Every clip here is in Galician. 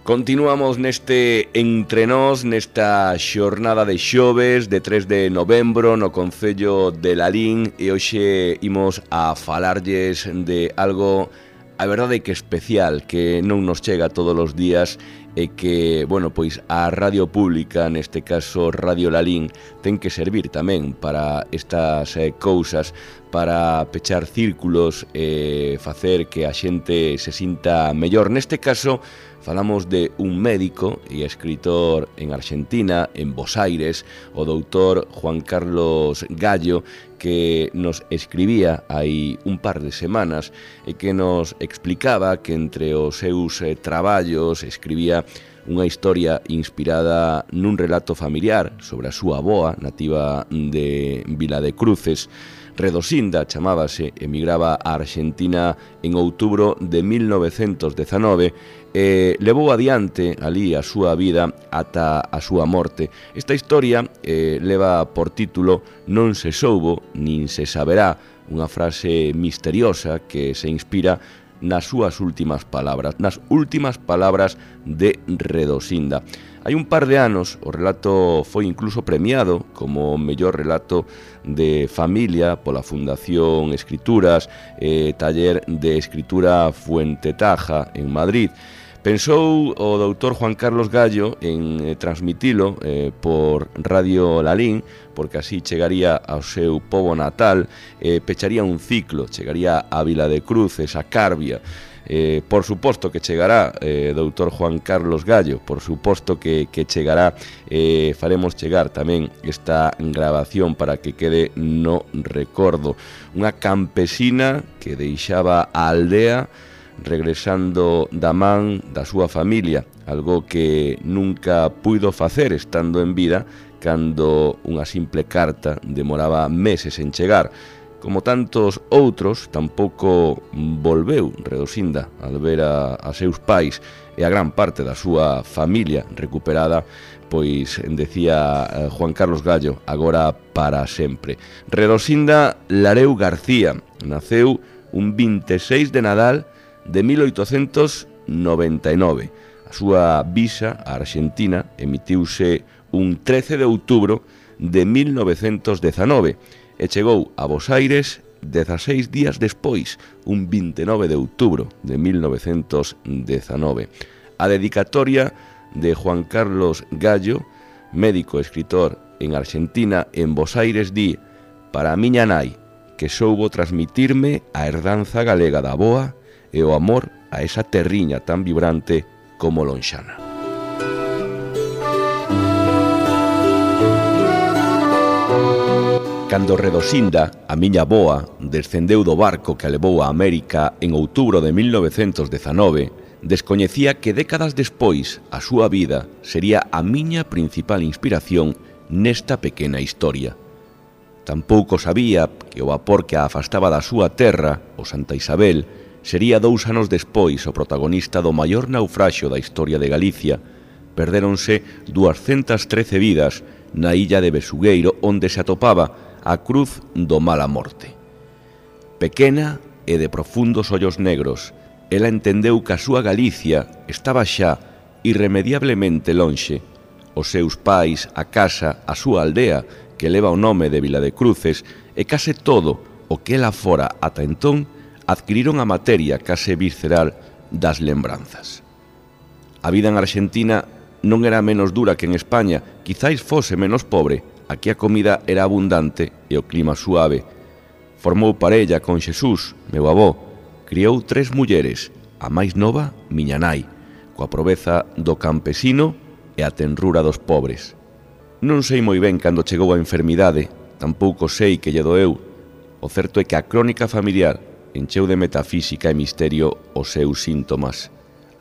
Continuamos neste Entre Nós, nesta xornada de xoves de 3 de novembro no Concello de Lalín, e hoxe imos a falarlles de algo, a verdade que especial, que non nos chega todos os días e que, bueno, pois a radio pública, neste caso Radio Lalín, ten que servir tamén para estas cousas, para pechar círculos e facer que a xente se sinta mellor. Neste caso, falamos de un médico e escritor en Argentina, en Bos Aires, o doutor Juan Carlos Gallo, que nos escribía hai un par de semanas e que nos explicaba que entre os seus traballos escribía unha historia inspirada nun relato familiar sobre a súa avoa, nativa de Vila de Cruces. Redosinda chamábase, emigraba a Argentina en outubro de 1919 e levou adiante ali a súa vida ata a súa morte. Esta historia leva por título Non se soubo nin se saberá, unha frase misteriosa que se inspira nas súas últimas palabras, nas últimas palabras de Redosinda. Hai un par de anos o relato foi incluso premiado como mellor relato de familia pola Fundación Escrituras e Taller de Escritura Fuentetaja en Madrid. Pensou o doutor Juan Carlos Gallo en transmitilo por Radio Lalín, porque así chegaría ao seu pobo natal, pecharía un ciclo, chegaría a Vila de Cruces, a Carbia. Por suposto que chegará, doutor Juan Carlos Gallo, por suposto que chegará. Faremos chegar tamén esta grabación para que quede no recordo. Unha campesina que deixaba a aldea regresando da man da súa familia, algo que nunca puido facer estando en vida, cando unha simple carta demoraba meses en chegar. Como tantos outros, tampouco volveu Redosinda al ver a seus pais e a gran parte da súa familia recuperada, pois decía Juan Carlos Gallo, agora para sempre. Redosinda Lareu García naceu un 26 de Nadal de 1899. A súa visa a Argentina emitiuse un 13 de outubro de 1919 e chegou a Bos Aires 16 días despois, un 29 de outubro de 1919. A dedicatoria de Juan Carlos Gallo, médico e escritor en Argentina, en Bos Aires, di: para a miña nai, que soubo transmitirme a herdanza galega da avoa e o amor a esa terriña tan vibrante como lonxana. Cando Redosinda, a miña avoa, descendeu do barco que a levou a América en outubro de 1919, descoñecía que décadas despois a súa vida sería a miña principal inspiración nesta pequena historia. Tampouco sabía que o vapor que a afastaba da súa terra, o Santa Isabel, sería 2 anos despois o protagonista do maior naufraxio da historia de Galicia. Perdéronse 213 vidas na illa de Besugueiro, onde se atopaba a cruz do mala morte. Pequena e de profundos ollos negros, ela entendeu que a súa Galicia estaba xa irremediablemente lonxe. Os seus pais, a casa, a súa aldea, que leva o nome de Vila de Cruces, e case todo o que ela fora ata entón, adquiriron a materia case visceral das lembranzas. A vida en Argentina non era menos dura que en España, quizáis fose menos pobre, aquí a comida era abundante e o clima suave. Formou parella con Xesús, meu avó, criou 3 mulleres, a máis nova, miña nai, coa proveza do campesino e a tenrura dos pobres. Non sei moi ben cando chegou a enfermidade, tampouco sei que lle doeu. O certo é que a crónica familiar encheu de metafísica e misterio os seus síntomas.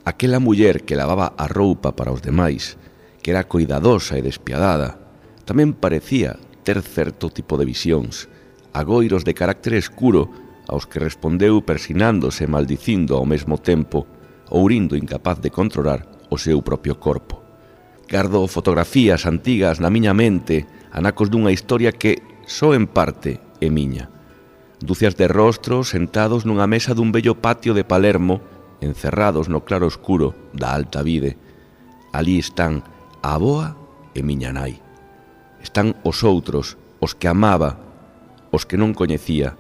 Aquela muller que lavaba a roupa para os demais, que era coidadosa e despiadada, tamén parecía ter certo tipo de visións, agoiros de carácter escuro aos que respondeu persinándose e maldicindo ao mesmo tempo, ourindo incapaz de controlar o seu propio corpo. Gardo fotografías antigas na miña mente, anacos dunha historia que, só en parte, é miña. Dúcias de rostros sentados nunha mesa dun bello patio de Palermo, encerrados no claro escuro da alta vide. alí están a avoa e miña nai. Están os outros, os que amaba, os que non coñecía,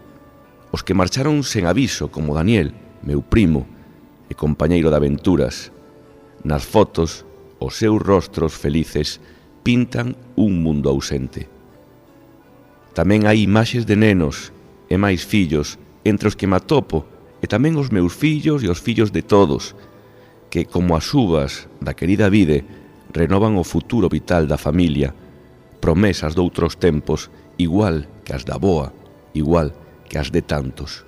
os que marcharon sen aviso, como Daniel, meu primo e compañeiro de aventuras. Nas fotos, os seus rostros felices pintan un mundo ausente. Tamén hai imaxes de nenos e máis fillos entre os que me atopo, e tamén os meus fillos e os fillos de todos, que, como as uvas da querida vide, renovan o futuro vital da familia, promesas doutros tempos, igual que as da avoa, igual que as de tantos.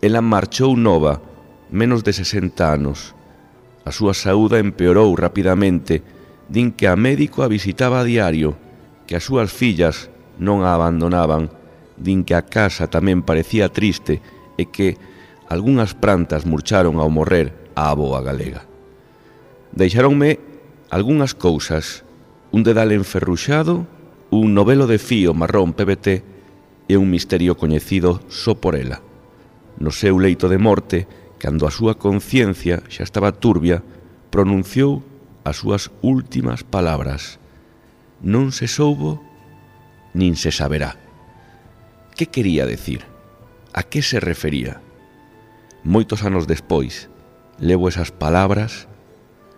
Ela marchou nova, menos de 60 anos. A súa saúde empeorou rapidamente, din que a médico a visitaba a diario, que as súas fillas non a abandonaban, din que a casa tamén parecía triste e que algunhas plantas murcharon ao morrer a avoa galega. Deixáronme algunhas cousas, un dedal enferruxado, un novelo de fío marrón PVT e un misterio coñecido só por ela. No seu leito de morte, cando a súa conciencia xa estaba turbia, pronunciou as súas últimas palabras: non se soubo, nin se saberá. Que quería decir? A que se refería? Moitos anos despois, levo esas palabras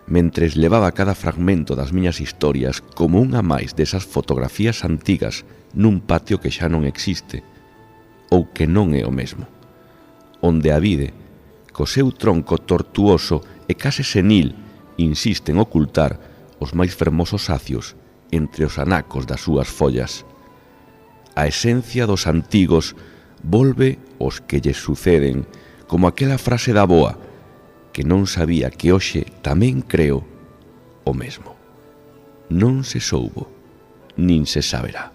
mentres levaba cada fragmento das miñas historias como unha máis desas fotografías antigas nun patio que xa non existe, ou que non é o mesmo, onde a vide, co seu tronco tortuoso e case senil, insiste en ocultar os máis fermosos acios entre os anacos das súas follas. A esencia dos antigos volve aos que lles suceden, como aquela frase da avoa, que non sabía que hoxe tamén creo o mesmo. Non se soubo, nin se saberá.